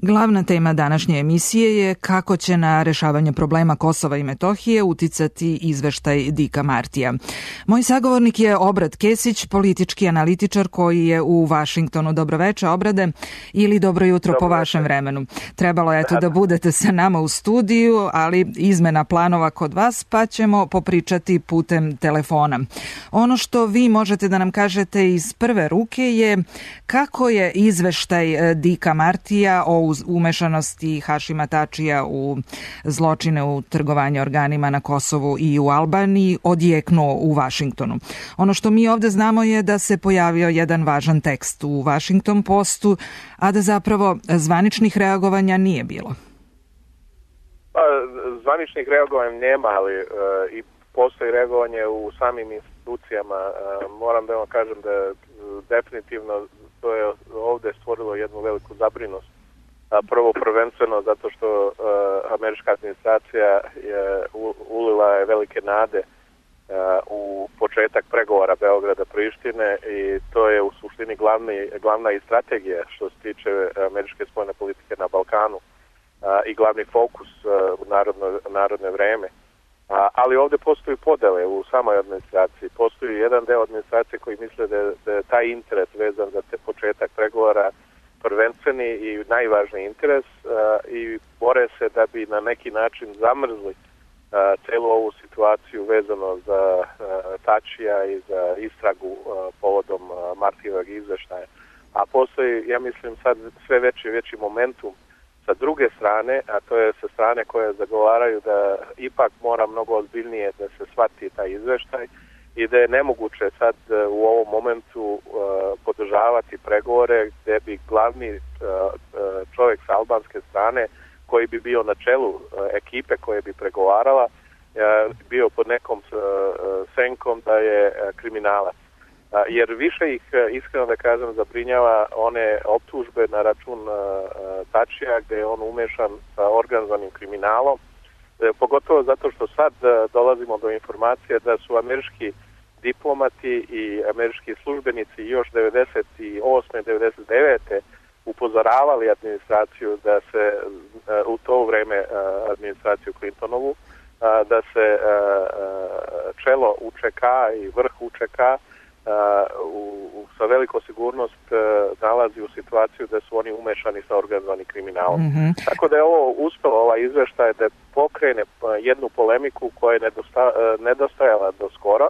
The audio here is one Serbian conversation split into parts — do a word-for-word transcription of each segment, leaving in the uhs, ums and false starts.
Glavna tema današnje emisije je kako će na rešavanje problema Kosova i Metohije uticati izveštaj Dicka Martija. Moj sagovornik je Obrad Kesić, politički analitičar koji je u Vašingtonu. Dobroveče, Obrade, ili dobro jutro Dobro po vašem vremenu. Trebalo je eto da budete sa nama u studiju, ali izmena planova kod vas, pa ćemo popričati putem telefona. Ono što vi možete da nam kažete iz prve ruke je kako je izveštaj Dicka Martija o umešanosti Hašima Tačija u zločine u trgovanje organima na Kosovu i u Albaniji odjeknuo u Vašingtonu. Ono što mi ovde znamo je da se pojavio jedan važan tekst u Washington Postu, a da zapravo zvaničnih reagovanja nije bilo. Pa, zvaničnih reagovanja nema, ali e, i postoji reagovanje u samim institucijama. E, moram da vam kažem da e, definitivno to je ovde stvorilo jednu veliku zabrinost. Prvo prvenstveno zato što uh, američka administracija je u, ulila je velike nade uh, u početak pregovora Beograda-Prištine i to je u suštini glavni, glavna i strategija što se tiče američke spoljne politike na Balkanu uh, i glavni fokus uh, u narodno, narodne vreme. Uh, ali ovdje postoji podele u samoj administraciji. Postoji jedan deo administracije koji misle da, da je taj interes vezan za te početak pregovora prvenstveni i najvažniji interes uh, i bore se da bi na neki način zamrzli uh, celu ovu situaciju vezano za uh, Tačija i za istragu uh, povodom uh, Martijevog izveštaja. A postoji, ja mislim, sad sve veći veći momentum sa druge strane, a to je sa strane koje zagovaraju da ipak mora mnogo ozbiljnije da se shvati taj izveštaj i da je nemoguće sad u ovom momentu uh, podržavati pregovore gde bi glavni uh, čovjek sa albanske strane koji bi bio na čelu uh, ekipe koje bi pregovarala uh, bio pod nekom uh, senkom da je uh, kriminalac. Uh, jer više ih, uh, iskreno da kažem, zabrinjava one optužbe na račun uh, Tačija gde je on umešan sa organizovanim kriminalom, uh, pogotovo zato što sad uh, dolazimo do informacije da su američki diplomati i američki službenici još devedeset osme devedeset devete upozoravali administraciju da se u to vreme administraciju Clintonovu da se čelo U Č K i vrh U Č K u, sa veliko sigurnost nalazi u situaciju da su oni umešani sa organizovanim kriminalom. Mm-hmm. Tako da je ovo uspelo, ovaj izveštaj da pokrene jednu polemiku koja je nedosta, nedostajala do skoro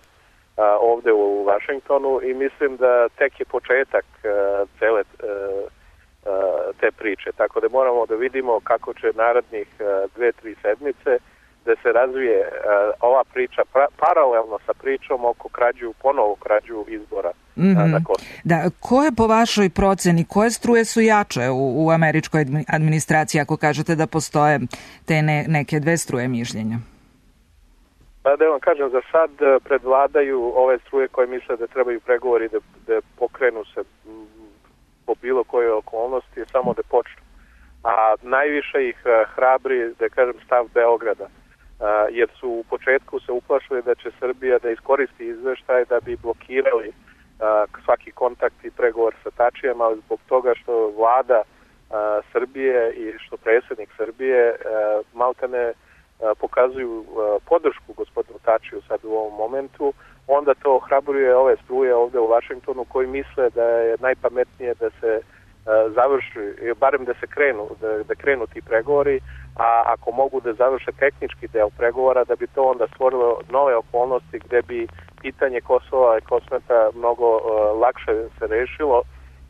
Uh, ovde u Vašingtonu i mislim da tek je početak uh, cele uh, uh, te priče. Tako da moramo da vidimo kako će narednih uh, dve, tri sedmice da se razvije uh, ova priča pra- paralelno sa pričom oko krađu, ponovo krađu izbora mm-hmm. uh, na Kosovu. Da, koje po vašoj proceni, koje struje su jače u, u američkoj administraciji ako kažete da postoje te ne, neke dve struje mišljenja? Da vam kažem, za sad predvladaju ove struje koje misle da trebaju pregovori da, da pokrenu se po bilo koje okolnosti, samo da počnu. A najviše ih hrabri, da kažem, stav Beograda, jer su u početku se uplašili da će Srbija da iskoristi izveštaj da bi blokirali svaki kontakt i pregovor sa Tačijem, ali zbog toga što vlada Srbije i što predsjednik Srbije maltene pokazuju podršku gospodinu Tačiju sad u ovom momentu, onda to ohrabruje ove struje ovde u Vašingtonu koji misle da je najpametnije da se završi, barem da se krenu, da, da krenu ti pregovori, a ako mogu da završe tehnički deo pregovora, da bi to onda stvorilo nove okolnosti gde bi pitanje Kosova i Kosmeta mnogo uh, lakše se rešilo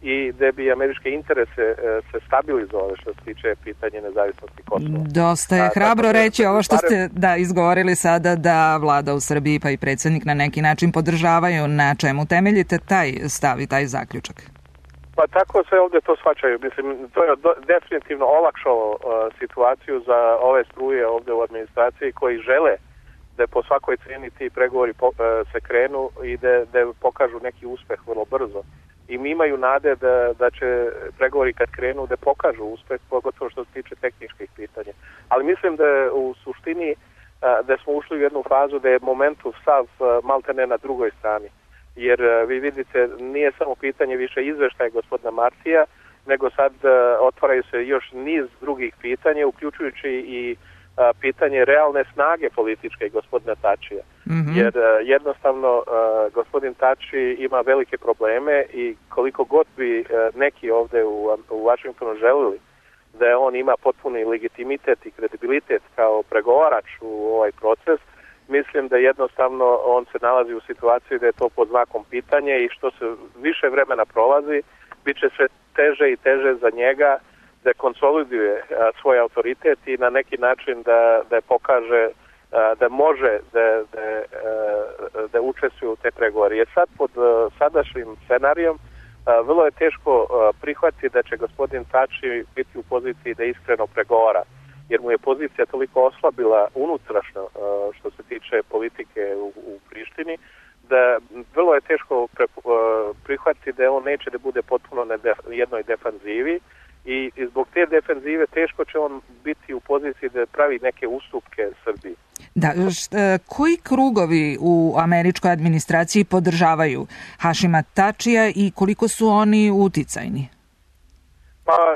i gde bi američke interese uh, se stabilizovali što se tiče pitanje nezavisnosti Kosova. Dosta je hrabro reći ovo što ste da izgovorili sada, da vlada u Srbiji pa i predsjednik na neki način podržavaju. Na čemu temeljite taj stav i taj zaključak? Pa tako se ovdje to shvaćaju. Mislim, to je do, definitivno olakšalo uh, situaciju za ove struje ovdje u administraciji koji žele da po svakoj cijeni ti pregovori po, uh, se krenu i da, da pokažu neki uspeh vrlo brzo. I mi imaju nade da, da će pregovori kad krenu da pokažu uspeh, pogotovo što se tiče tehničkih pitanja. Ali mislim da u suštini uh, da smo ušli u jednu fazu da je momentum sav uh, maltene na drugoj strani. Jer vi vidite, nije samo pitanje više izveštaja gospodina Martija, nego sad otvaraju se još niz drugih pitanja, uključujući i pitanje realne snage političke gospodina Tačija. Mm-hmm. Jer jednostavno gospodin Tači ima velike probleme i koliko god bi neki ovde u, u Vašingtonu želili da on ima potpuni legitimitet i kredibilitet kao pregovarač u ovaj proces, mislim da jednostavno on se nalazi u situaciji da je to pod znakom pitanja i što se više vremena prolazi, bit će sve teže i teže za njega da konsoliduje a, svoj autoritet i na neki način da, da pokaže a, da može da, da, a, da učestvuje u te pregovore. Jer sad pod a, sadašnjim scenarijom a, vrlo je teško a, prihvatiti da će gospodin Tači biti u poziciji da iskreno pregovara, jer mu je pozicija toliko oslabila unutrašnjo a, što se tiče politike u, u Prištini, da vrlo je teško pre, a, prihvatiti da on neće da bude potpuno na def, jednoj defanzivi. I, I zbog te defenzive teško će on biti u poziciji da pravi neke ustupke Srbiji. Da, šta, koji krugovi u američkoj administraciji podržavaju Hašima Tačija i koliko su oni uticajni? Pa,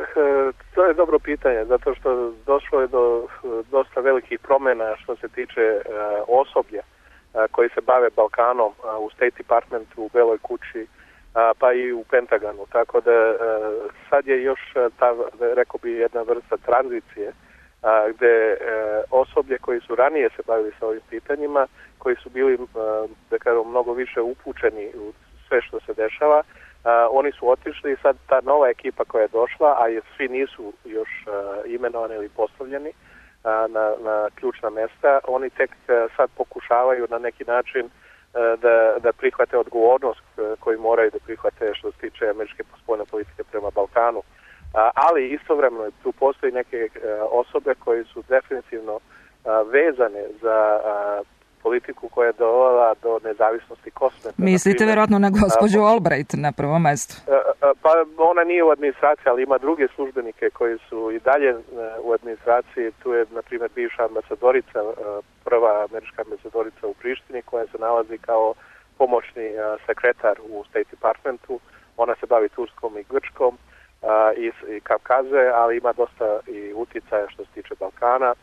to je dobro pitanje, zato što došlo je do dosta velikih promjena što se tiče osoblja koji se bave Balkanom u State Departmentu, u Beloj kući, pa i u Pentagonu, tako da sad je još ta, rekao bi, jedna vrsta tranzicije gde osoblje koji su ranije se bavili sa ovim pitanjima, koji su bili, da kažem, mnogo više upućeni u sve što se dešava, oni su otišli i sad ta nova ekipa koja je došla, a svi nisu još imenovani ili postavljeni na, na ključna mesta, oni tek sad pokušavaju na neki način da, da prihvate odgovornost koju moraju da prihvate što se tiče američke spoljne politike prema Balkanu. Ali istovremeno tu postoji neke osobe koje su definitivno vezane za politiku koja je dovela do nezavisnosti Kosova. Mislite verovatno na gospođu Albright na prvom mestu? Pa ona nije u administraciji, ali ima druge službenike koji su i dalje u administraciji. Tu je, na primjer, bivša ambasadorica, prva američka ambasadorica u Prištini, koja se nalazi kao pomoćni sekretar u State Departmentu. Ona se bavi Turskom i Grčkom i, i Kavkaze, ali ima dosta i uticaja što se tiče Balkana.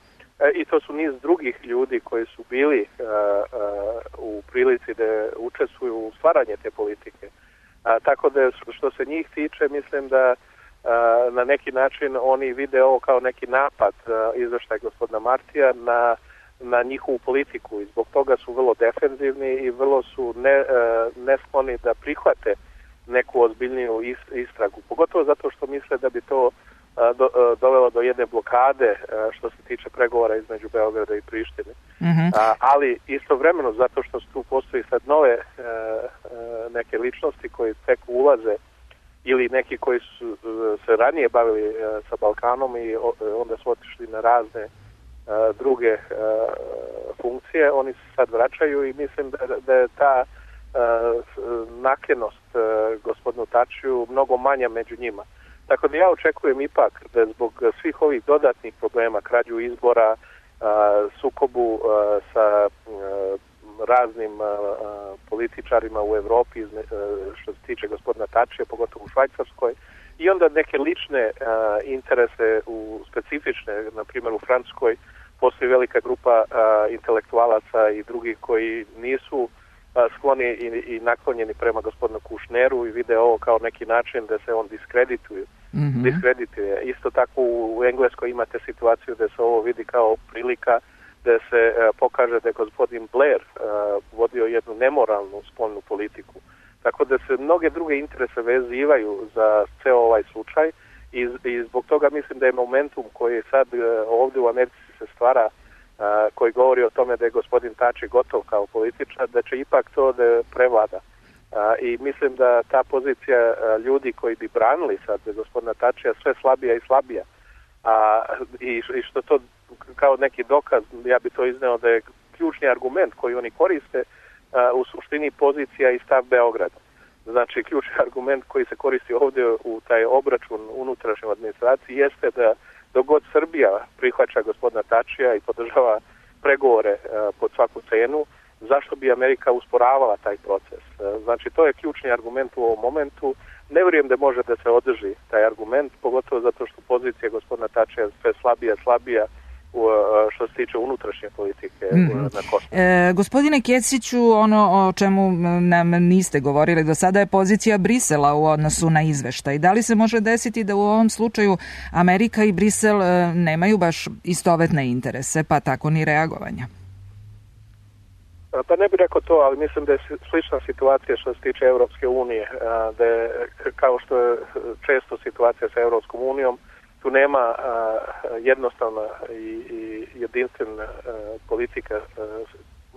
I to su niz drugih ljudi koji su bili uh, uh, u prilici da učestvuju u stvaranje te politike. Uh, tako da što se njih tiče, mislim da uh, na neki način oni vide ovo kao neki napad uh, izveštaj gospodina Martija na, na njihovu politiku i zbog toga su vrlo defenzivni i vrlo su ne, uh, neskloni da prihvate neku ozbiljniju istragu. Pogotovo zato što misle da bi to Do, dovelo do jedne blokade što se tiče pregovora između Beograda i Prištine. Mm-hmm. A, ali istovremeno zato što tu postoji sad nove e, neke ličnosti koji tek ulaze ili neki koji su se ranije bavili e, sa Balkanom i o, onda su otišli na razne e, druge e, funkcije, oni se sad vraćaju i mislim da, da je ta e, naklonost e, gospodinu Tačiju mnogo manja među njima. Tako da ja očekujem ipak da zbog svih ovih dodatnih problema, krađu izbora, sukobu sa raznim političarima u Evropi, što se tiče gospodina Tačija, pogotovo u Švajcarskoj, i onda neke lične interese u specifične, na primjer u Francuskoj, postoji velika grupa intelektualaca i drugih koji nisu skloni i, i naklonjeni prema gospodinu Kušneru i vide ovo kao neki način da se on diskredituje. Mm-hmm. diskredituje. Isto tako u Engleskoj imate situaciju da se ovo vidi kao prilika da se uh, pokaže da je gospodin Blair uh, vodio jednu nemoralnu spoljnu politiku. Tako da se mnoge druge interese vezivaju za ceo ovaj slučaj i, i zbog toga mislim da je momentum koji sad uh, ovdje u Americi se stvara, Uh, koji govori o tome da je gospodin Tači gotov kao političar, da će ipak to da prevlada. Uh, I mislim da ta pozicija uh, ljudi koji bi branili sad gospodina Tačija sve slabija i slabija. Uh, i, I što to kao neki dokaz, ja bi to izneo da je ključni argument koji oni koriste uh, u suštini pozicija i stav Beograda. Znači ključni argument koji se koristi ovdje u taj obračun unutrašnjoj administraciji jeste da dok god Srbija prihvaća gospodina Tačija i podržava pregovore uh, pod svaku cenu, zašto bi Amerika usporavala taj proces? Uh, znači, to je ključni argument u ovom momentu, ne vjerujem da može da se održi taj argument, pogotovo zato što pozicija gospodina Tačija je sve slabija, slabija u, što se tiče unutrašnje politike mm-hmm. na Kosovu. E, gospodine Kesiću, ono o čemu nam niste govorili do sada je pozicija Brisela u odnosu na izveštaj. Da li se može desiti da u ovom slučaju Amerika i Brisel e, nemaju baš istovetne interese, pa tako ni reagovanja? Pa ne bih rekao to, ali mislim da je slična situacija što se tiče Europske unije, da je, kao što je često situacija sa Europskom unijom, tu nema jednostavna i, i jedinstvena politika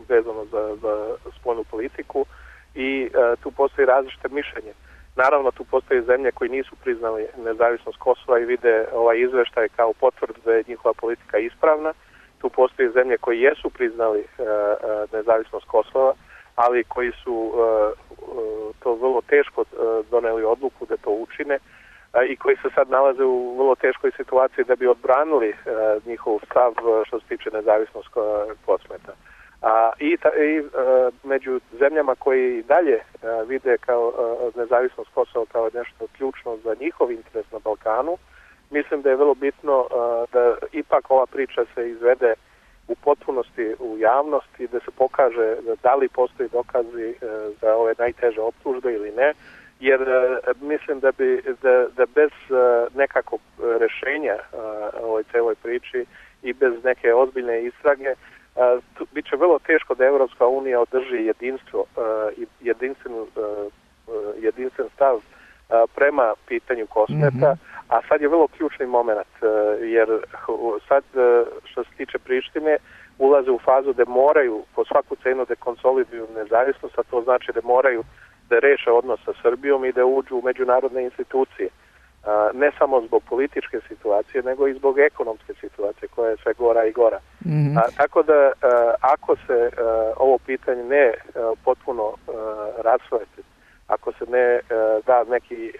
vezano za, za spoljnu politiku i tu postoji različite mišljenje. Naravno, tu postoje zemlje koji nisu priznali nezavisnost Kosova i vide ovaj izveštaj kao potvrdu da je njihova politika ispravna. Tu postoje zemlje koji jesu priznali uh, uh, nezavisnost Kosova, ali koji su uh, uh, to vrlo teško uh, doneli odluku da to učine uh, i koji se sad nalaze u vrlo teškoj situaciji da bi odbranili uh, njihov stav uh, što se tiče nezavisnost Kosmeta. Uh, I ta, i uh, među zemljama koji dalje uh, vide kao uh, nezavisnost Kosova kao nešto ključno za njihov interes na Balkanu, mislim da je vrlo bitno uh, da ipak ova priča se izvede u potpunosti u javnosti, da se pokaže da li postoji dokazi uh, za ove najteže optužbe ili ne, jer uh, mislim da bi da, da bez uh, nekakvog rešenja uh, ovoj celoj priči i bez neke ozbiljne istrage uh, tu, bit će vrlo teško da Evropska unija održi jedinstvo uh, i jedinstven, uh, jedinstven stav uh, prema pitanju Kosmeta. Mm-hmm. A sad je vrlo ključni moment, jer sad što se tiče Prištine ulaze u fazu da moraju po svaku cenu da konsoliduju nezavisnost, a to znači da moraju da reše odnos sa Srbijom i da uđu u međunarodne institucije. Ne samo zbog političke situacije, nego i zbog ekonomske situacije koja je sve gora i gora. Mm-hmm. A, tako da ako se ovo pitanje ne potpuno rasvete, ako se ne da neki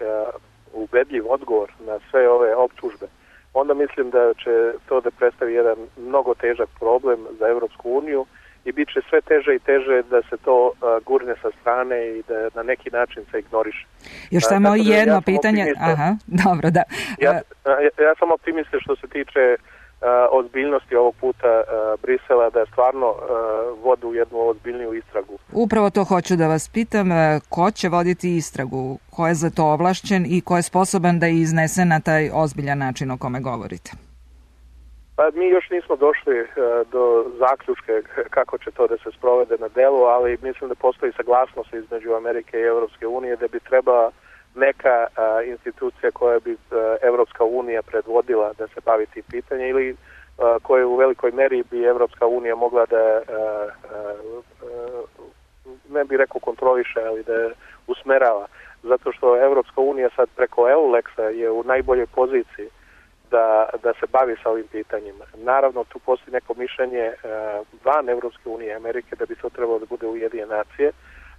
ubedljiv odgovor na sve ove optužbe, onda mislim da će to da predstavi jedan mnogo težak problem za Evropsku uniju i bit će sve teže i teže da se to uh, gurne sa strane i da na neki način se ignoriše. Još samo uh, jedno ja pitanje. Aha, dobro, da. Ja, ja, ja sam optimista što se tiče Uh, ozbiljnosti ovog puta uh, Brisela da stvarno uh, vode u jednu ozbiljniju istragu. Upravo to hoću da vas pitam, ko će voditi istragu, ko je za to ovlašćen i ko je sposoban da iznese na taj ozbiljan način o kome govorite? Pa mi još nismo došli uh, do zaključke kako će to da se sprovede na delu, ali mislim da postoji saglasnost između Amerike i Evropske unije da bi trebala neka a, institucija koja bi a, Evropska unija predvodila da se bavi tim pitanjem ili a, koje u velikoj meri bi Evropska unija mogla da a, a, a, ne bih rekao kontroliše, ali da usmerava. Zato što Evropska unija sad preko EULEX-a je u najboljoj poziciji da, da se bavi sa ovim pitanjima. Naravno, tu postoji neko mišljenje a, van Evropske unije Amerike da bi to trebalo da bude Ujedinjene nacije,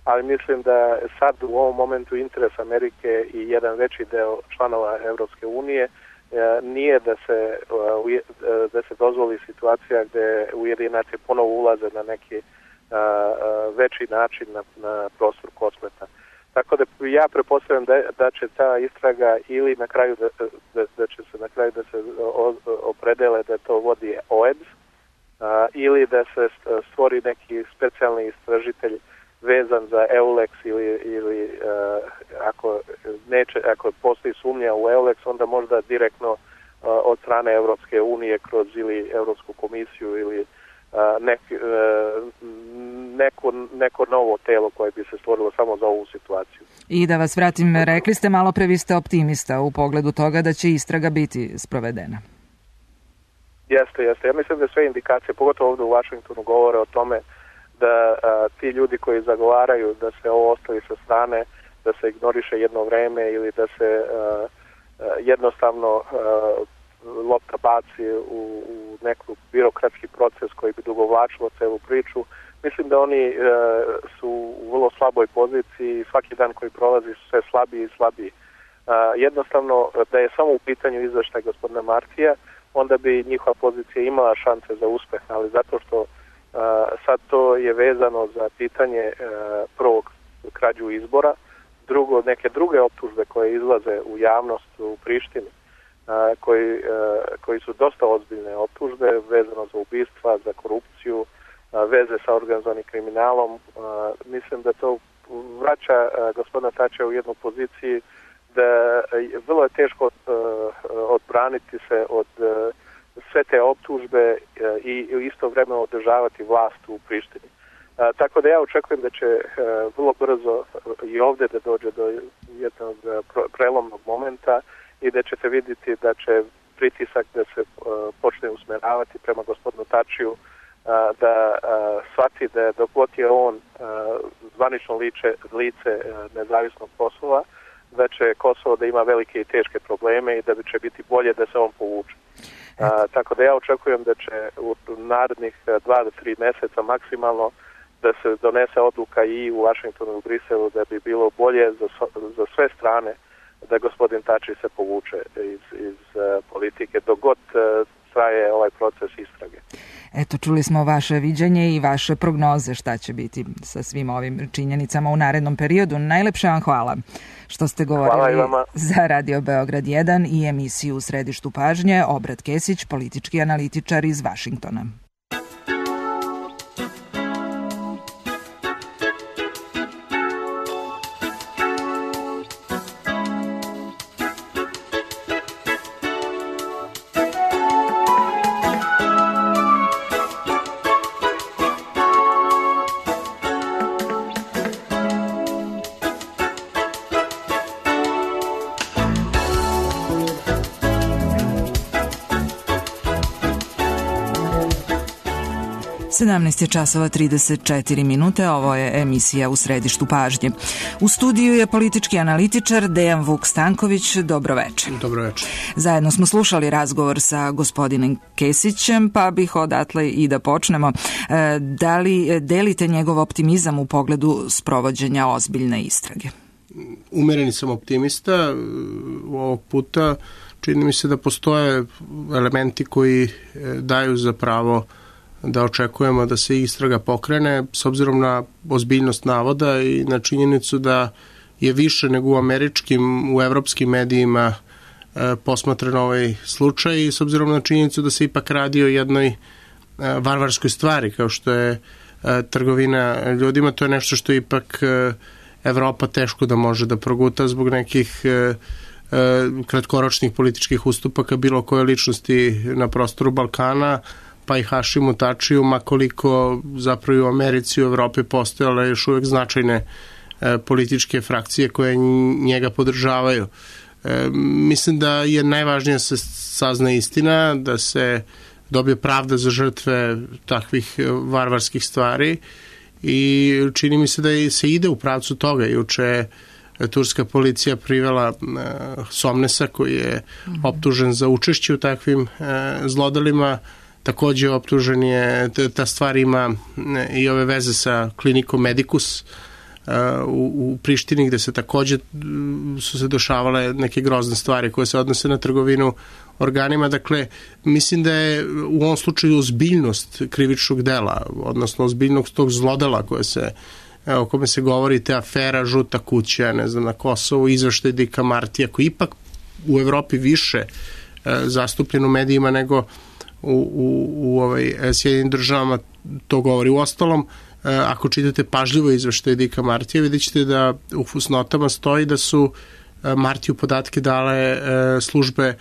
ali mislim da sad u ovom momentu interes Amerike i jedan veći deo članova Evropske unije nije da se, da se dozvoli situacija gde Ujedinjene nacije ponovo ulaze na neki veći način na, na prostor Kosmeta. Tako da ja pretpostavljam da, da će ta istraga ili na kraju da, da, da će se na kraju da se opredele da to vodi O E D S ili da se stvori neki specijalni istražitelj vezan za EULEX ili, ili uh, ako, neće, ako postoji sumnja u EULEX, onda možda direktno uh, od strane Evropske unije kroz ili Evropsku komisiju ili uh, nek, uh, neko, neko novo telo koje bi se stvorilo samo za ovu situaciju. I da vas vratim, rekli ste malo pre, vi ste optimista u pogledu toga da će istraga biti sprovedena. Jeste, jeste. Ja mislim da sve indikacije, pogotovo ovdje u Vašingtonu, govore o tome da a, ti ljudi koji zagovaraju da se ovo ostavi sa strane, da se ignoriše jedno vreme ili da se a, a, jednostavno a, lopta baci u, u neku birokratski proces koji bi dugovlačilo celu priču. Mislim da oni a, su u vrlo slaboj poziciji i svaki dan koji prolazi su sve slabiji i slabiji. A, jednostavno, da je samo u pitanju izveštaj gospodina Martija, onda bi njihova pozicija imala šanse za uspeh, ali zato što Uh, sad to je vezano za pitanje uh, prvog krađu izbora, drugo, neke druge optužbe koje izlaze u javnost u Prištini, a, koji, a, koji su dosta ozbiljne optužbe vezano za ubistva, za korupciju, a, veze sa organizovanim kriminalom. A, mislim da to vraća a, gospodina Tačija u jednu poziciji da a, vrlo je teško a, odbraniti se od a, sve te optužbe a, i istovremeno održavati vlast u Prištini. A, tako da ja očekujem da će a, vrlo brzo i ovdje da dođe do jednog prelomnog momenta i da ćete vidjeti da će pritisak da se a, počne usmjeravati prema gospodinu Tačiju, a, da a, shvati da dok god je on a, zvanično liče, lice a, nezavisnog Kosova, da će Kosovo da ima velike i teške probleme i da će biti bolje da se on povuče. A, tako da ja očekujem da će u narednih dva do tri mjeseca maksimalno da se donese odluka i u Washingtonu i u Briselu da bi bilo bolje za, za sve strane da gospodin Tači se povuče iz, iz uh, politike dok god uh, traje ovaj proces istrage. Eto, čuli smo vaše viđenje i vaše prognoze šta će biti sa svim ovim činjenicama u narednom periodu. Najlepše vam hvala što ste govorili za Radio Beograd jedan i emisiju U središtu pažnje. Obrat Kesić, politički analitičar iz Vašingtona. sedamnaest je časova trideset četiri minute, ovo je emisija U središtu pažnje. U studiju je politički analitičar Dejan Vuk Stanković. Dobro večer. Dobro večer. Zajedno smo slušali razgovor sa gospodinom Kesićem, pa bih odatle i da počnemo. Da li delite njegov optimizam u pogledu sprovođenja ozbiljne istrage? Umereni sam optimista. Ovog puta čini mi se da postoje elementi koji daju za pravo da očekujemo da se istraga pokrene s obzirom na ozbiljnost navoda i na činjenicu da je više nego u američkim, u evropskim medijima e, posmatran ovaj slučaj i s obzirom na činjenicu da se ipak radi o jednoj e, varvarskoj stvari kao što je e, trgovina ljudima. To je nešto što ipak e, Evropa teško da može da proguta zbog nekih e, e, kratkoročnih političkih ustupaka bilo koje ličnosti na prostoru Balkana, pa i Hašimu Tačiju, makoliko zapravo i u Americi i u Evropi postojale još uvek značajne e, političke frakcije koje njega podržavaju. E, mislim da je najvažnije da se sazna istina, da se dobije pravda za žrtve takvih varvarskih stvari i čini mi se da se ide u pravcu toga. Juče turska policija privela e, Somnesa koji je optužen za učešće u takvim e, zlodelima. Takođe optužen je, ta stvar ima i ove veze sa klinikom Medicus u, u Prištini gde se takođe su se dešavale neke grozne stvari koje se odnose na trgovinu organima. Dakle, mislim da je u ovom slučaju ozbiljnost krivičnog dela, odnosno ozbiljnost tog zlodela koje se, o kome se govori, te afera Žuta kuća, ne znam, na Kosovu, izveštaj Dika Martija, koji ipak u Evropi više zastupljen u medijima nego u, u, u ovaj, Sjedinim državama, to govori. U ostalom, ako čitate pažljivo izveštaj Dika Martija, vidjet ćete da u fusnotama stoji da su Martiju podatke dale službe,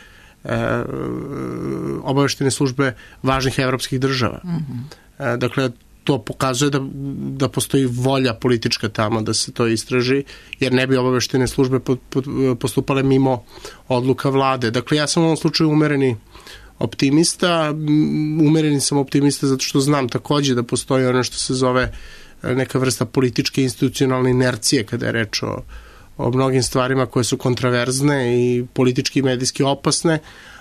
obaveštene službe važnih evropskih država. Mm-hmm. Dakle, to pokazuje da, da postoji volja politička tamo da se to istraži, jer ne bi obaveštene službe postupale mimo odluka vlade. Dakle, ja sam u ovom slučaju umereni optimista. Umereni sam optimista zato što znam takođe da postoji ono što se zove neka vrsta političke institucionalne inercije kada je reč o, o mnogim stvarima koje su kontraverzne i politički i medijski opasne,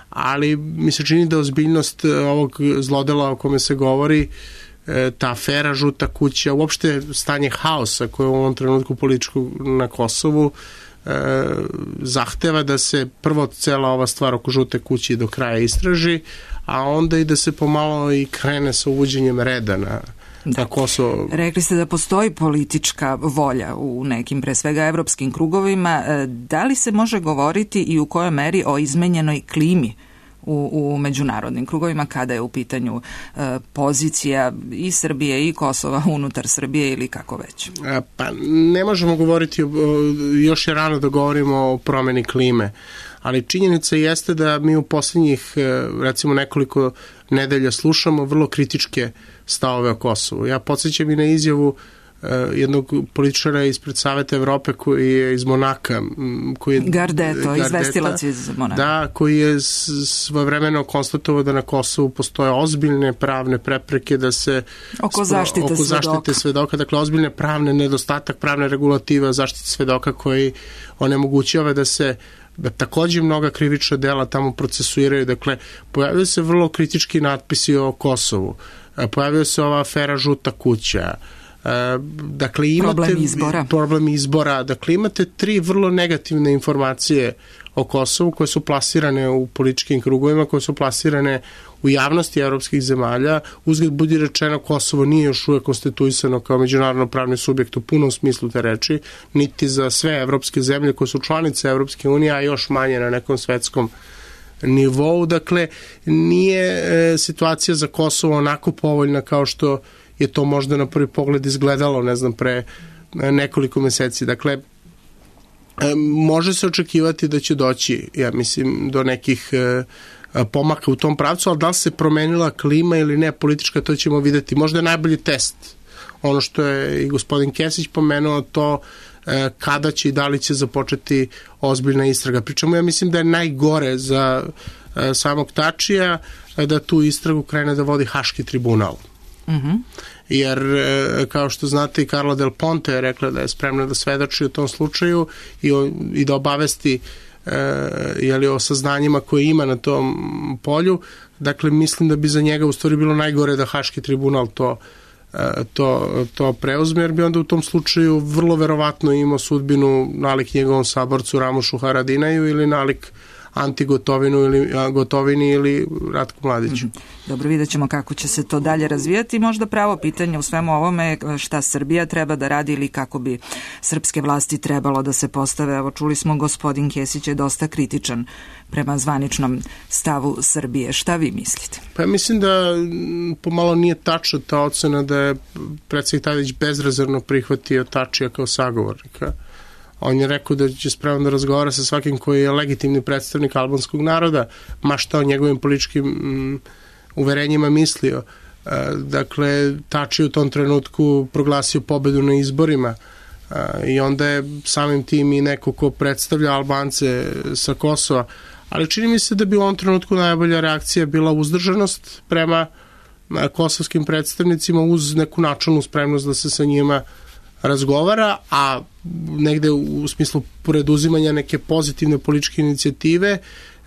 ali mi se čini da ozbiljnost ovog zlodela o kome se govori, ta afera Žuta kuća, uopšte stanje haosa koje u ovom trenutku političkog na Kosovu e, zahteva da se prvo cela ova stvar oko Žute kuće do kraja istraži, a onda i da se pomalo i krene sa uvođenjem reda na, da. na Kosovo. Rekli ste da postoji politička volja u nekim, pre svega, evropskim krugovima. Da li se može govoriti i u kojoj meri o izmenjenoj klimi u, u međunarodnim krugovima kada je u pitanju e, pozicija i Srbije i Kosova unutar Srbije ili kako već? A, pa ne možemo govoriti, o, još je rano da govorimo o promeni klime, ali činjenica jeste da mi u posljednjih recimo nekoliko nedelja slušamo vrlo kritičke stavove o Kosovu. Ja podsjećam i na izjavu jednog političara ispred Saveta Evrope koji je iz Monaka. Koji je, Gardeto, Gardeta, izvestilac iz Monaka. Da, koji je svojevremeno konstatovao da na Kosovu postoje ozbiljne pravne prepreke da se oko zaštite, oko svedoka. zaštite svedoka, dakle ozbiljne pravne nedostatak pravne regulativa zaštite svedoka koji onemogućava da se da takođe mnoga krivična dela tamo procesuiraju. Dakle, pojavljaju se vrlo kritički natpisi o Kosovu. Pojavljaju se ova afera Žuta kuća. Dakle, imate problem izbora. problem izbora. Dakle, imate tri vrlo negativne informacije o Kosovu koje su plasirane u političkim krugovima, koje su plasirane u javnosti evropskih zemalja. Uzgled budi rečeno, Kosovo nije još uvek konstituisano kao međunarodno pravni subjekt u punom smislu te reči, niti za sve evropske zemlje koje su članice Evropske unije, a još manje na nekom svetskom nivou. Dakle, nije e, situacija za Kosovo onako povoljna kao što je to možda na prvi pogled izgledalo, ne znam, pre nekoliko meseci. Dakle, može se očekivati da će doći, ja mislim, do nekih pomaka u tom pravcu, ali da li se promenila klima ili ne politička, to ćemo videti. Možda je najbolji test ono što je i gospodin Kesić pomenuo, to kada će i da li će započeti ozbiljna istraga. Pričamo, ja mislim da je najgore za samog Tačija da tu istragu krene da vodi Haški tribunal. Mhm. Jer, kao što znate, i Carla Del Ponte je rekla da je spremna da svedoči u tom slučaju i, o, i da obavesti e, jeli, o saznanjima koje ima na tom polju. Dakle, mislim da bi za njega u stvari bilo najgore da Haški tribunal to, e, to, to preuzme, jer bi onda u tom slučaju vrlo verovatno imao sudbinu nalik njegovom saborcu Ramušu Haradinaju ili nalik Anti Gotovinu ili Gotovini ili Ratku Mladiću. Dobro, vidjet ćemo kako će se to dalje razvijati. Možda pravo pitanje u svemu ovome šta Srbija treba da radi ili kako bi srpske vlasti trebalo da se postave. Evo, čuli smo, gospodin Kesić je dosta kritičan prema zvaničnom stavu Srbije. Šta vi mislite? Pa ja mislim da pomalo nije tačna ta ocena da je predsjednik Tadić bezrezervno prihvatio Tačija kao sagovornika. On je rekao da će spremno da razgovara sa svakim koji je legitimni predstavnik albanskog naroda, ma šta o njegovim političkim mm, uverenjima mislio. E, dakle, Tači u tom trenutku proglasio pobedu na izborima e, i onda je samim tim i neko ko predstavlja Albance sa Kosova. Ali čini mi se da bi u ovom trenutku najbolja reakcija bila uzdržanost prema kosovskim predstavnicima uz neku načelnu spremnost da se sa njima razgovara, a negde u smislu preduzimanja neke pozitivne političke inicijative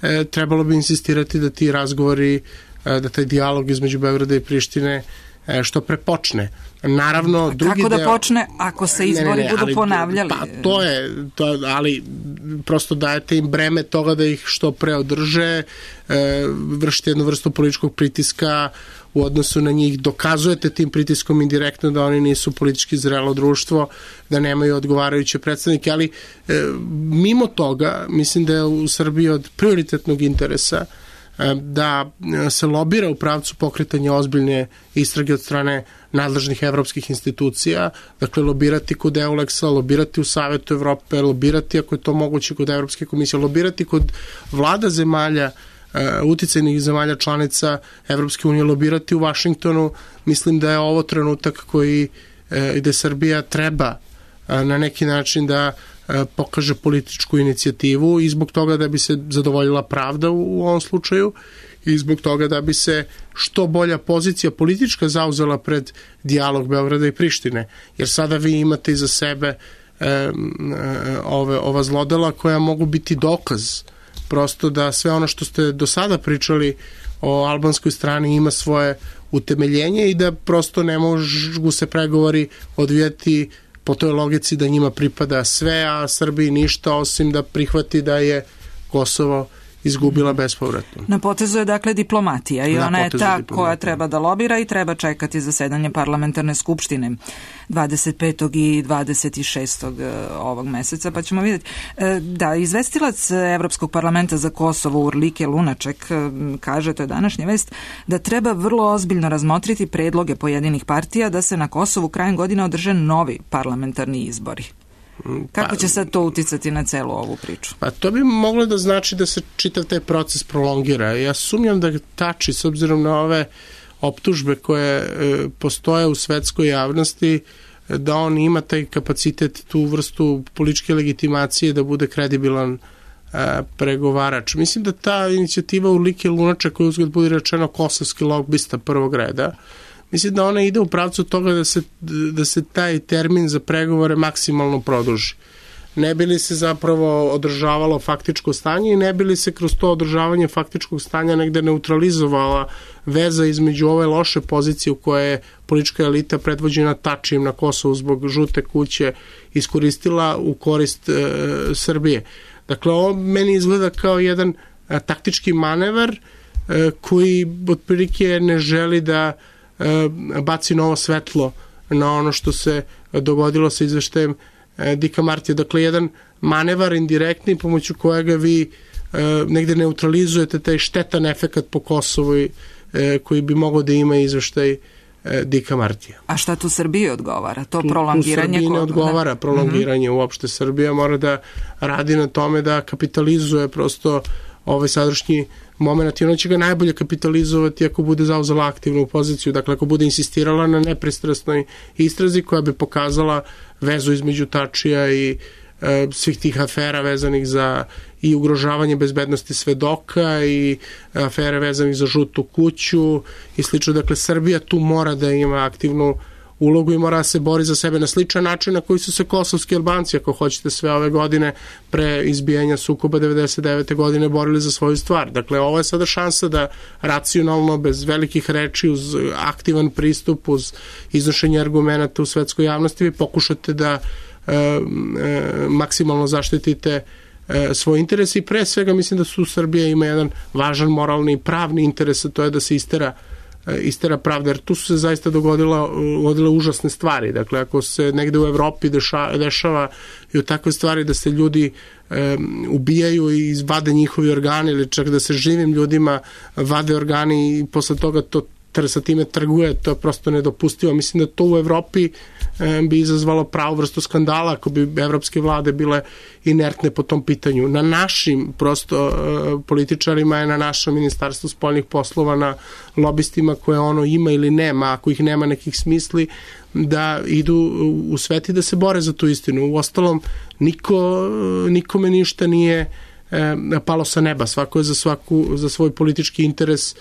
e, trebalo bi insistirati da ti razgovori, e, da taj dijalog između Beograda i Prištine e, što pre počne. Naravno, a drugi kako da deo, počne ako se izbori ne, ne, ne, budu ali, ponavljali? Pa to je, to, ali prosto dajete im breme toga da ih što pre održe, e, vršite jednu vrstu političkog pritiska u odnosu na njih, dokazujete tim pritiskom indirektno da oni nisu politički zrelo društvo, da nemaju odgovarajuće predstavnike, ali e, mimo toga, mislim da je u Srbiji od prioritetnog interesa e, da se lobira u pravcu pokretanja ozbiljne istrage od strane nadležnih evropskih institucija, dakle lobirati kod Euleksa, lobirati u Savetu Evrope, lobirati ako je to moguće kod Evropske komisije, lobirati kod vlada zemalja, uticajnih zemalja članica Evropske unije, lobirati u Vašingtonu. Mislim da je ovo trenutak koji gde Srbija treba na neki način da pokaže političku inicijativu i zbog toga da bi se zadovoljila pravda u ovom slučaju i zbog toga da bi se što bolja pozicija politička zauzela pred dijalog Beograda i Prištine. Jer sada vi imate iza sebe ove, ova zlodela koja mogu biti dokaz prosto da sve ono što ste do sada pričali o albanskoj strani ima svoje utemeljenje i da prosto ne mogu se pregovori odvijati po toj logici da njima pripada sve, a Srbiji ništa osim da prihvati da je Kosovo izgubila bespovratno. Na potezu je dakle diplomatija i Na ona je ta diplomatija. koja treba da lobira i treba čekati zasedanje parlamentarne skupštine dvadeset petog i dvadeset šestog ovog meseca, pa ćemo vidjeti. Da, izvestilac Evropskog parlamenta za Kosovo Urlike Lunaček kaže, to je današnja vest, da treba vrlo ozbiljno razmotriti predloge pojedinih partija da se na Kosovu krajem godine održe novi parlamentarni izbori. Kako će sad to uticati na celu ovu priču? Pa to bi moglo da znači da se čitav taj proces prolongira. Ja sumnjam da Tači, s obzirom na ove optužbe koje e, postoje u svetskoj javnosti, da on ima taj kapacitet, tu vrstu političke legitimacije da bude kredibilan e, pregovarač. Mislim da ta inicijativa Urlike Lunaček, koja uzgled bude rečeno kosovski lobista prvog reda, mislim da ona ide u pravcu toga da se, da se taj termin za pregovore maksimalno produži. Ne bi li se zapravo održavalo faktičko stanje i ne bi li se kroz to održavanje faktičkog stanja negde neutralizovala veza između ove loše pozicije u kojoj je politička elita predvođena Tačijem na Kosovu zbog žute kuće iskoristila u korist e, Srbije. Dakle, ovo meni izgleda kao jedan e, taktički manevar e, koji otprilike ne želi da baci novo svetlo na ono što se dogodilo sa izveštajem Dika Martija. Dakle, jedan manevar indirektni pomoću kojega vi negde neutralizujete taj štetan efekat po Kosovu koji bi mogao da ima izveštaj Dika Martija. A šta tu Srbiji odgovara? To prolongiranje? Tu Srbiji ne odgovara prolongiranje mm-hmm. uopšte. Srbija mora da radi na tome da kapitalizuje prosto ovaj sadašnji moment i ona će ga najbolje kapitalizovati ako bude zauzela aktivnu poziciju, dakle ako bude insistirala na nepristrasnoj istrazi koja bi pokazala vezu između Tačija i e, svih tih afera vezanih za i ugrožavanje bezbednosti svedoka i afere vezanih za žutu kuću i slično. Dakle, Srbija tu mora da ima aktivnu ulogu i mora da se bori za sebe na sličan način na koji su se kosovski Albanci, ako hoćete, sve ove godine pre izbijanja sukoba devedeset devete godine borili za svoju stvar. Dakle, ovo je sada šansa da racionalno, bez velikih reči, uz aktivan pristup, uz iznošenje argumenata u svetskoj javnosti, vi pokušate da e, e, maksimalno zaštitite e, svoj interes i pre svega mislim da su Srbija ima jedan važan moralni i pravni interes, a to je da se istera istera pravda, jer tu su se zaista dogodila, dogodile užasne stvari. Dakle, ako se negde u Evropi deša, dešava i u takve stvari da se ljudi e, ubijaju i izvade njihovi organi ili čak da se živim ljudima vade organi i posle toga to sa time trguje, to je prosto nedopustivo. Mislim da to u Evropi e, bi izazvalo pravu vrstu skandala ako bi evropske vlade bile inertne po tom pitanju. Na našim prosto e, političarima je na našem ministarstvu spoljnih poslova, na lobistima koje ono ima ili nema, ako ih nema nekih smisli, da idu u svet i da se bore za tu istinu. U ostalom, niko, nikome ništa nije e, palo sa neba. Svako je za, svaku, za svoj politički interes,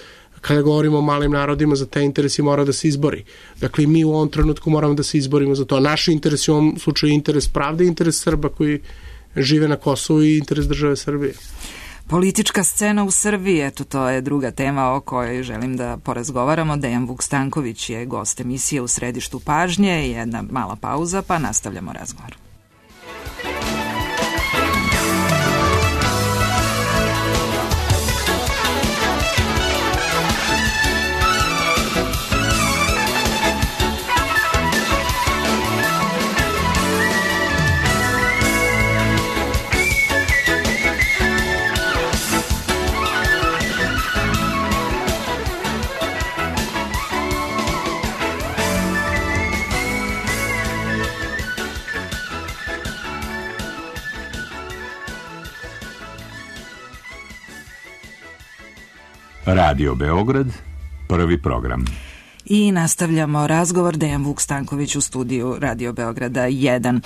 kada govorimo o malim narodima, za te interesi mora da se izbori. Dakle, mi u ovom trenutku moramo da se izborimo za to. Naši interesi u ovom slučaju interes pravde, interes Srba koji žive na Kosovu i interes države Srbije. Politička scena u Srbiji, eto to je druga tema o kojoj želim da porazgovaramo. Dejan Vuk Stanković je gost emisije U središtu pažnje. Jedna mala pauza, pa nastavljamo razgovor. Radio Beograd, prvi program. I nastavljamo razgovor. Dejan Vuk Stanković u studiju Radio Beograda jedan.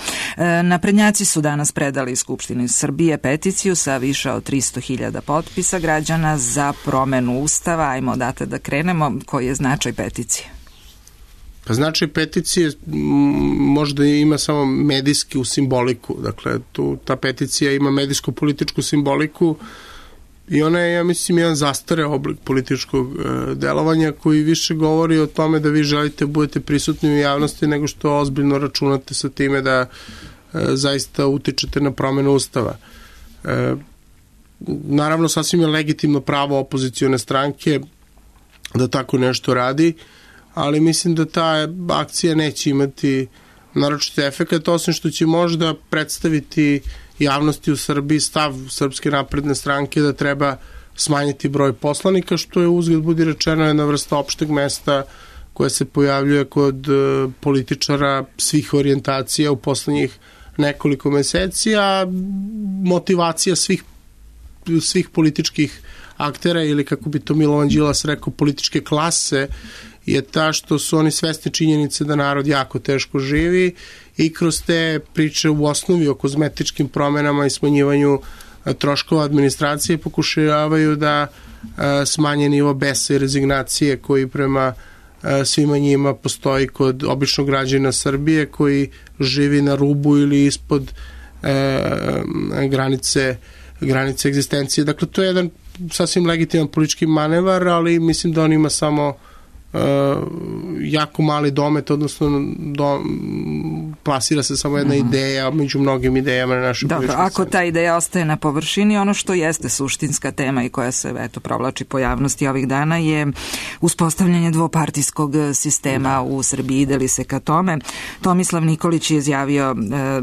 Naprednjaci su danas predali Skupštini Srbije peticiju sa više od tristo hiljada potpisa građana za promenu Ustava. Ajmo odatle da krenemo. Koji je značaj peticije? Pa značaj peticije možda ima samo medijski u simboliku. Dakle, tu ta peticija ima medijsko-političku simboliku i ona je, ja mislim, jedan zastareo oblik političkog e, delovanja koji više govori o tome da vi želite budete prisutni u javnosti nego što ozbiljno računate sa time da e, zaista utičete na promenu Ustava. E, naravno sasvim je legitimno pravo opozicione stranke da tako nešto radi, ali mislim da ta akcija neće imati naročiti efekat, osim što će možda predstaviti javnosti u Srbiji stav Srpske napredne stranke da treba smanjiti broj poslanika, što je uzgled budi rečeno jedna vrsta opšteg mesta koja se pojavljuje kod političara svih orijentacija u poslednjih nekoliko meseci, a motivacija svih, svih političkih aktera, ili kako bi to Milovan Đilas rekao, političke klase, je ta što su oni svesni činjenice da narod jako teško živi i kroz te priče u osnovi o kozmetičkim promenama i smanjivanju troškova administracije pokušavaju da smanje nivo besa i rezignacije koji prema svima njima postoji kod običnog građana Srbije koji živi na rubu ili ispod granice, granice egzistencije. Dakle, to je jedan sasvim legitiman politički manevar, ali mislim da on ima samo Uh, jako mali domet, odnosno do, plasira se samo jedna mm-hmm. ideja među mnogim idejama na našoj političkoj sceni. Ako ta ideja ostaje na površini, ono što jeste suštinska tema i koja se eto provlači po javnosti ovih dana je uspostavljanje dvopartijskog sistema da. u Srbiji. Ide li se ka tome? Tomislav Nikolić je izjavio uh,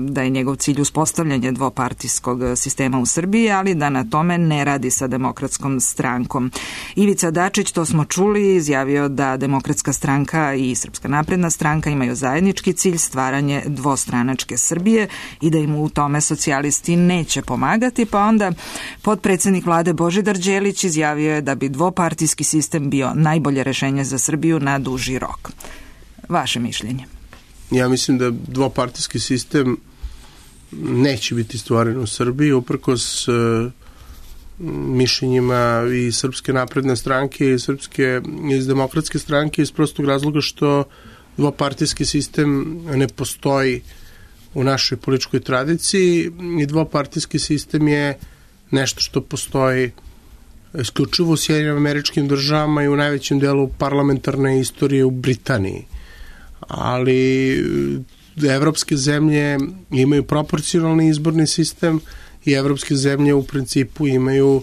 da je njegov cilj uspostavljanje dvopartijskog sistema u Srbiji, ali da na tome ne radi sa Demokratskom strankom. Ivica Dačić, to smo čuli, izjavio da Demokratska stranka i Srpska napredna stranka imaju zajednički cilj stvaranje dvostranačke Srbije i da im u tome socijalisti neće pomagati, pa onda potpredsednik vlade Božidar Đelić izjavio je da bi dvopartijski sistem bio najbolje rešenje za Srbiju na duži rok. Vaše mišljenje? Ja mislim da dvopartijski sistem neće biti stvoren u Srbiji, uprkos mišljenjima i Srpske napredne stranke i Srpske iz Demokratske stranke, iz prostog razloga što dvopartijski sistem ne postoji u našoj političkoj tradiciji i dvopartijski sistem je nešto što postoji isključivo u Sjedinjenim Američkim Državama i u najvećem delu parlamentarne istorije u Britaniji. Ali evropske zemlje imaju proporcionalni izborni sistem i evropske zemlje u principu imaju,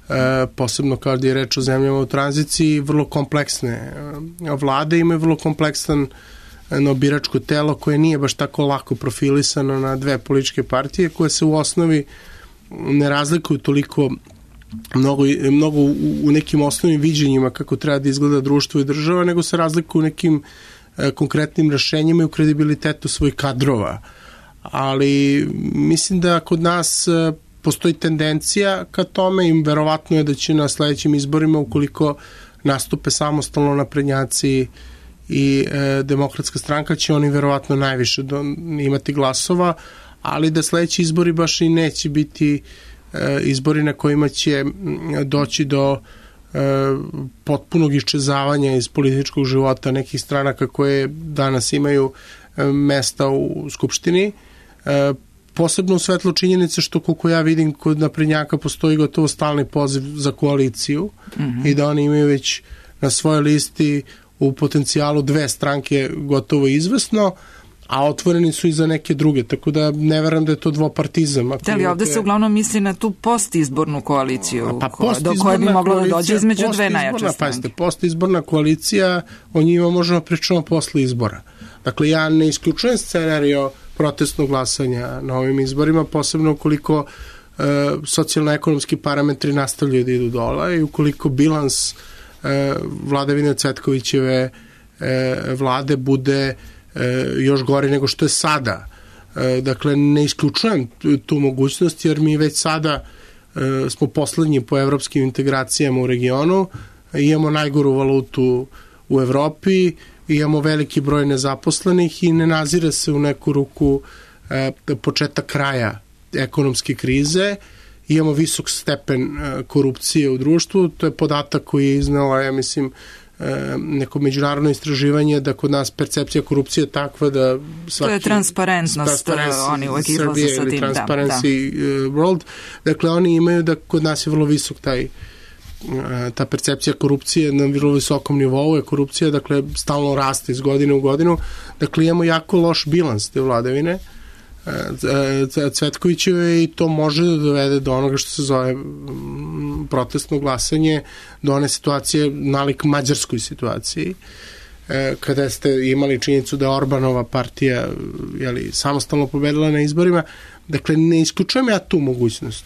e, posebno kada je reč o zemljama u tranziciji, vrlo kompleksne vlade, imaju vrlo kompleksan no, biračko telo koje nije baš tako lako profilisano na dve političke partije koje se u osnovi ne razlikuju toliko mnogo, mnogo u, u nekim osnovnim viđenjima kako treba da izgleda društvo i država, nego se razlikuju u nekim e, konkretnim rešenjima i u kredibilitetu svojih kadrova. Ali mislim da kod nas postoji tendencija ka tome i verovatno je da će na sledećim izborima, ukoliko nastupe samostalno naprednjaci i e, Demokratska stranka, će oni verovatno najviše do, imati glasova, ali da sledeći izbori baš i neće biti e, izbori na kojima će doći do e, potpunog iščezavanja iz političkog života nekih stranaka koje danas imaju e, mesta u Skupštini. E, posebno u svetlu činjenice što, koliko ja vidim, kod naprednjaka postoji gotovo stalni poziv za koaliciju mm-hmm. i da oni imaju već na svojoj listi u potencijalu dve stranke gotovo izvesno, a otvoreni su i za neke druge, tako da ne verujem da je to dvopartizam. Da li ovde se uglavnom misli na tu postizbornu koaliciju, pa ko, do koje bi moglo da dođe između dve najjače stranke? Pazite, postizborna koalicija, o njima možemo pričati posle izbora. Dakle, ja ne isključujem scenario protestnog glasanja na ovim izborima, posebno ukoliko e, socijalno-ekonomski parametri nastavljaju da idu dola i ukoliko bilans e, vladavine Cvetkovićeve e, vlade bude e, još gori nego što je sada. E, dakle, ne isključujem tu, tu mogućnost, jer mi već sada e, smo poslednji po evropskim integracijama u regionu, imamo najgoru valutu u Evropi, imamo veliki broj nezaposlenih i ne nazire se u neku ruku e, početak kraja ekonomske krize. Imamo visok stepen e, korupcije u društvu, to je podatak koji je iznala, ja mislim, e, neko međunarodno istraživanje da kod nas percepcija korupcije je takva da svaki... To je transparentnost, oni uvek izlaze sa tim. Transparency da, da. World. Dakle, oni imaju da kod nas je vrlo visok taj ta percepcija korupcije na vrlo visokom nivou je korupcija, dakle stalno raste iz godine u godinu, dakle imamo jako loš bilans te vladavine Cvetkovićeve i to može da dovede do onoga što se zove protestno glasanje, do one situacije nalik mađarskoj situaciji, kada ste imali činjenicu da je Orbanova partija jeli, samostalno pobedila na izborima. Dakle, ne isključujem ja tu mogućnost.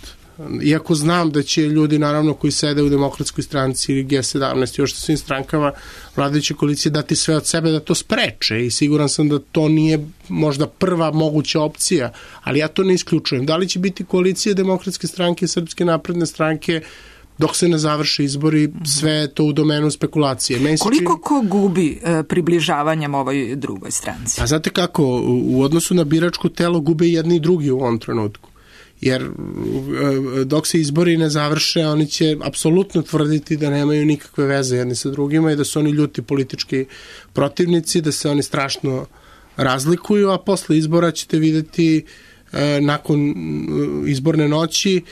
Iako znam da će ljudi, naravno, koji sede u Demokratskoj stranci ili G sedamnaest, još svim strankama vladajuće koalicije dati sve od sebe da to spreče i siguran sam da to nije možda prva moguća opcija, ali ja to ne isključujem. Da li će biti koalicije Demokratske stranke i Srpske napredne stranke dok se ne završe izbori, sve je to u domenu spekulacije. Meni Koliko ko gubi e, približavanjem ovoj drugoj stranci? A znate kako, u odnosu na biračko telo gube jedni i drugi u ovom trenutku. Jer dok se izbori ne završe, oni će apsolutno tvrditi da nemaju nikakve veze jedni sa drugima i da su oni ljuti politički protivnici, da se oni strašno razlikuju, a posle izbora ćete videti nakon izborne noći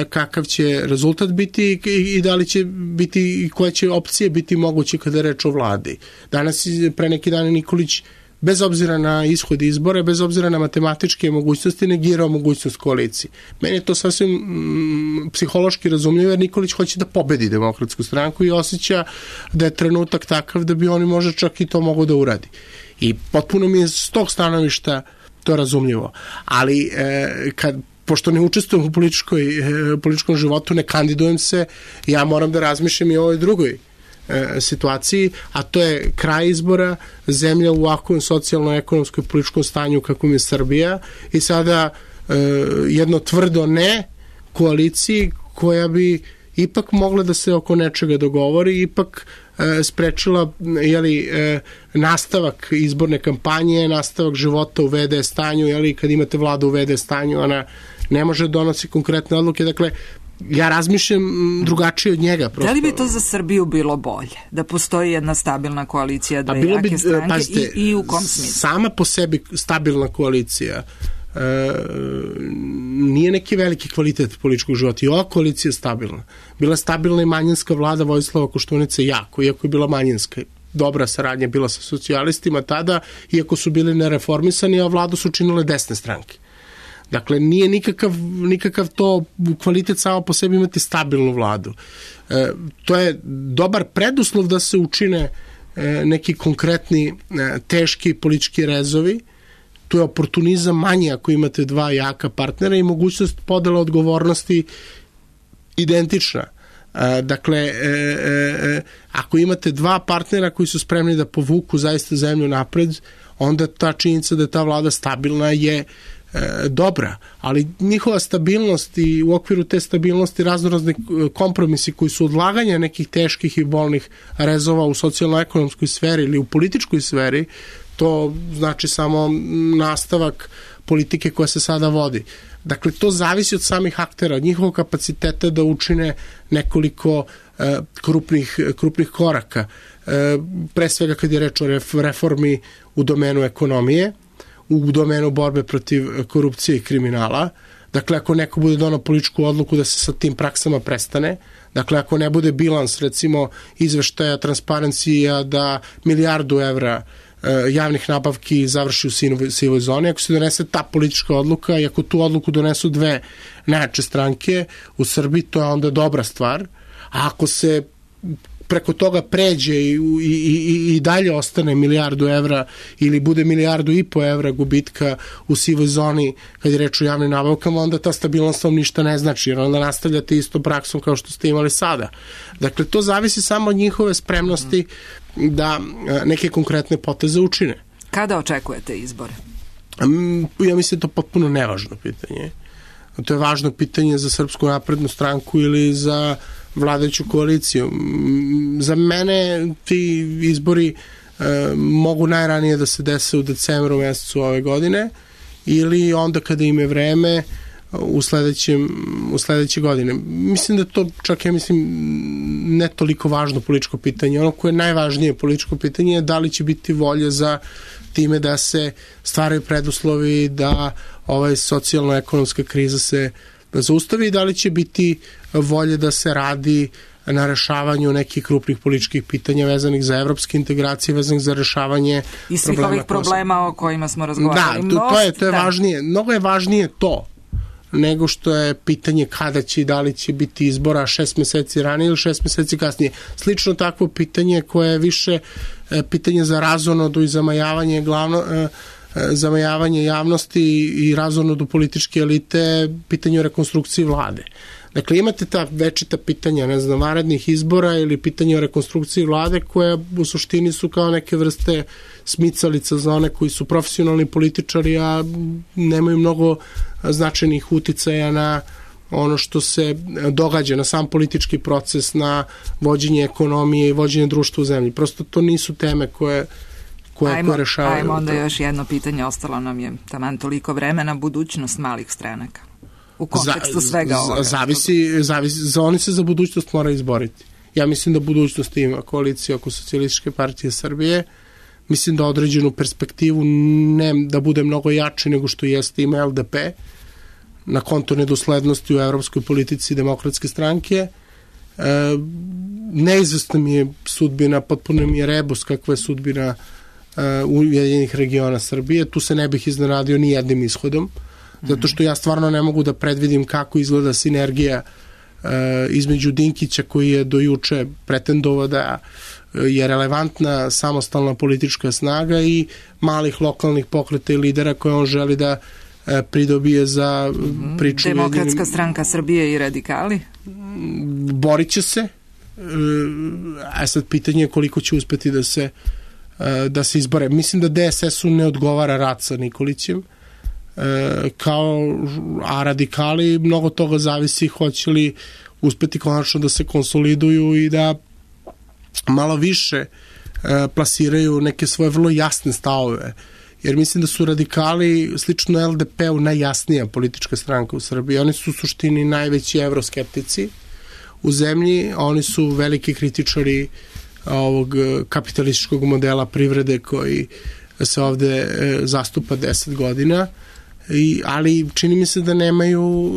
kakav će rezultat biti i da li će biti i koje će opcije biti moguće kada je reč o vladi. Danas pre neki dan Nikolić bez obzira na ishod izbora, bez obzira na matematičke mogućnosti, negirao mogućnost koalicije. Meni je to sasvim mm, psihološki razumljivo, jer Nikolić hoće da pobedi Demokratsku stranku i osjeća da je trenutak takav da bi oni možda čak i to mogo da uradi. I potpuno mi je s tog stanovišta to razumljivo. Ali e, kad pošto ne učestvujem u političkoj, e, političkom životu, ne kandidujem se, ja moram da razmišljam i o ovoj drugoj situaciji, a to je kraj izbora, zemlja u ovakvom socijalno-ekonomskoj političkom stanju kakvom je Srbija i sada e, jedno tvrdo ne koaliciji koja bi ipak mogla da se oko nečega dogovori, ipak e, sprečila jeli, e, nastavak izborne kampanje, nastavak života u V D stanju, jeli, kad imate vladu u V D stanju, ona ne može donosi konkretne odluke, dakle ja razmišljam drugačije od njega. Prosto. Da li bi to za Srbiju bilo bolje? Da postoji jedna stabilna koalicija, dve jake bi, stranke pazite, i, i u kom smislu? Sama po sebi stabilna koalicija e, nije neki veliki kvalitet političkog života. I ova koalicija je stabilna. Bila stabilna i manjinska vlada Vojislava Koštunice jako, iako je bila manjinska. Dobra saradnja bila sa socijalistima tada, iako su bili nereformisani, a vladu su činile desne stranke. Dakle, nije nikakav, nikakav to kvalitet samo po sebi imati stabilnu vladu. E, to je dobar preduslov da se učine e, neki konkretni e, teški politički rezovi. Tu je oportunizam manji ako imate dva jaka partnera i mogućnost podela odgovornosti identična. E, dakle, e, e, ako imate dva partnera koji su spremni da povuku zaista zemlju napred, onda ta činjenica da je ta vlada stabilna je E, dobra, ali njihova stabilnost i u okviru te stabilnosti raznorazni kompromisi koji su odlaganja nekih teških i bolnih rezova u socijalno-ekonomskoj sferi ili u političkoj sferi, to znači samo nastavak politike koja se sada vodi. Dakle, to zavisi od samih aktera, od njihovog kapaciteta da učine nekoliko e, krupnih, krupnih koraka. E, pre svega kad je reč o reformi u domenu ekonomije, u domenu borbe protiv korupcije i kriminala. Dakle, ako neko bude donao političku odluku da se sa tim praksama prestane, dakle, ako ne bude bilans, recimo, izveštaja Transparencija da milijardu evra e, javnih nabavki završi u sivoj, sivoj zoni, ako se donese ta politička odluka i ako tu odluku donesu dve najjače stranke u Srbiji, to je onda dobra stvar. A ako se preko toga pređe i, i, i, i dalje ostane milijardu evra ili bude milijardu i po evra gubitka u sivoj zoni kad je reč o javnim nabavkama, onda ta stabilnost vam ništa ne znači, jer onda nastavljate isto praksom kao što ste imali sada. Dakle, to zavisi samo od njihove spremnosti da neke konkretne poteze učine. Kada očekujete izbore? Ja mislim da je to potpuno nevažno pitanje. To je važno pitanje za Srpsku naprednu stranku ili za vladajuću koaliciju. Za mene ti izbori e, mogu najranije da se dese u decembru mesecu ove godine ili onda kada im je vreme u sledećem, u sledeće godine. Mislim da to čak, ja mislim, ne toliko važno političko pitanje. Ono koje je najvažnije političko pitanje je da li će biti volje za time da se stvaraju preduslovi da ova socijalno-ekonomska kriza se zaustavi i da li će biti volje da se radi na rešavanju nekih krupnih političkih pitanja vezanih za evropske integracije, vezanih za rešavanje i svih ovih problema o kojima smo razgovarali. Da, to, to je, to je da. važnije. Mnogo je važnije to nego što je pitanje kada će i da li će biti izbora šest meseci ranije ili šest meseci kasnije. Slično takvo pitanje koje je više pitanje za razonodu i zamajavanje glavno, zamajavanje javnosti i razonodu političke elite, pitanje o rekonstrukciji vlade. Dakle, imate ta večita pitanja, ne znam, vanrednih izbora ili pitanje o rekonstrukciji vlade koje u suštini su kao neke vrste smicalica za one koji su profesionalni političari, a nemaju mnogo značajnih uticaja na ono što se događa, na sam politički proces, na vođenje ekonomije i vođenje društva u zemlji. Prosto to nisu teme koje koje, ajmo, koje rešavaju. Ajmo onda još jedno pitanje, ostalo nam je taman toliko vremena, budućnost malih stranaka. U kontekstu svega ovoga. Zavisi, zavisi, za oni se za budućnost mora izboriti. Ja mislim da budućnost ima koalicija oko Socijalističke partije Srbije. Mislim da određenu perspektivu, ne da bude mnogo jači nego što jeste, ima L D P na konto nedoslednosti u evropskoj politici Demokratske stranke. E, neizvestna mi je sudbina, potpuno mi je rebus kakva je sudbina e, Ujedinjenih regiona Srbije. Tu se ne bih iznenadio ni jednim ishodom, zato što ja stvarno ne mogu da predvidim kako izgleda sinergija e, između Dinkića, koji je do juče pretendovao da je relevantna samostalna politička snaga, i malih lokalnih pokreta i lidera koje on želi da e, pridobije za priču. Demokratska jedinim... stranka Srbije i radikali? Borit će se, e, a sad pitanje je koliko će uspeti da se, e, da se izbore. Mislim da D S S-u ne odgovara rat sa Nikolićem, E, kao, a radikali, mnogo toga zavisi hoće li uspeti konačno da se konsoliduju i da malo više e, plasiraju neke svoje vrlo jasne stavove, jer mislim da su radikali slično L D P-u najjasnija politička stranka u Srbiji. Oni su u suštini najveći evroskeptici u zemlji, oni su veliki kritičari ovog kapitalističkog modela privrede koji se ovde e, zastupa deset godina. I, ali čini mi se da nemaju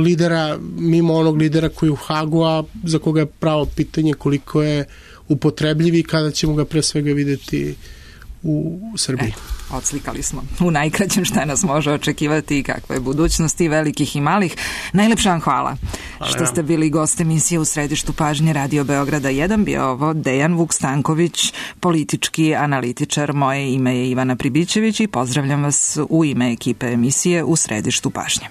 lidera, mimo onog lidera koji je u Hagu, a za koga je pravo pitanje koliko je upotrebljiv i kada ćemo ga pre svega videti u Srbiji. E, odslikali smo u najkraćem šta nas može očekivati i kakva je budućnost i velikih i malih. Najlepša vam hvala, hvala što ste bili gost emisije U središtu pažnje Radio Beograda jedan. Bio ovo Dejan Vuk-Stanković, politički analitičar. Moje ime je Ivana Pribićević i pozdravljam vas u ime ekipe emisije U središtu pažnje.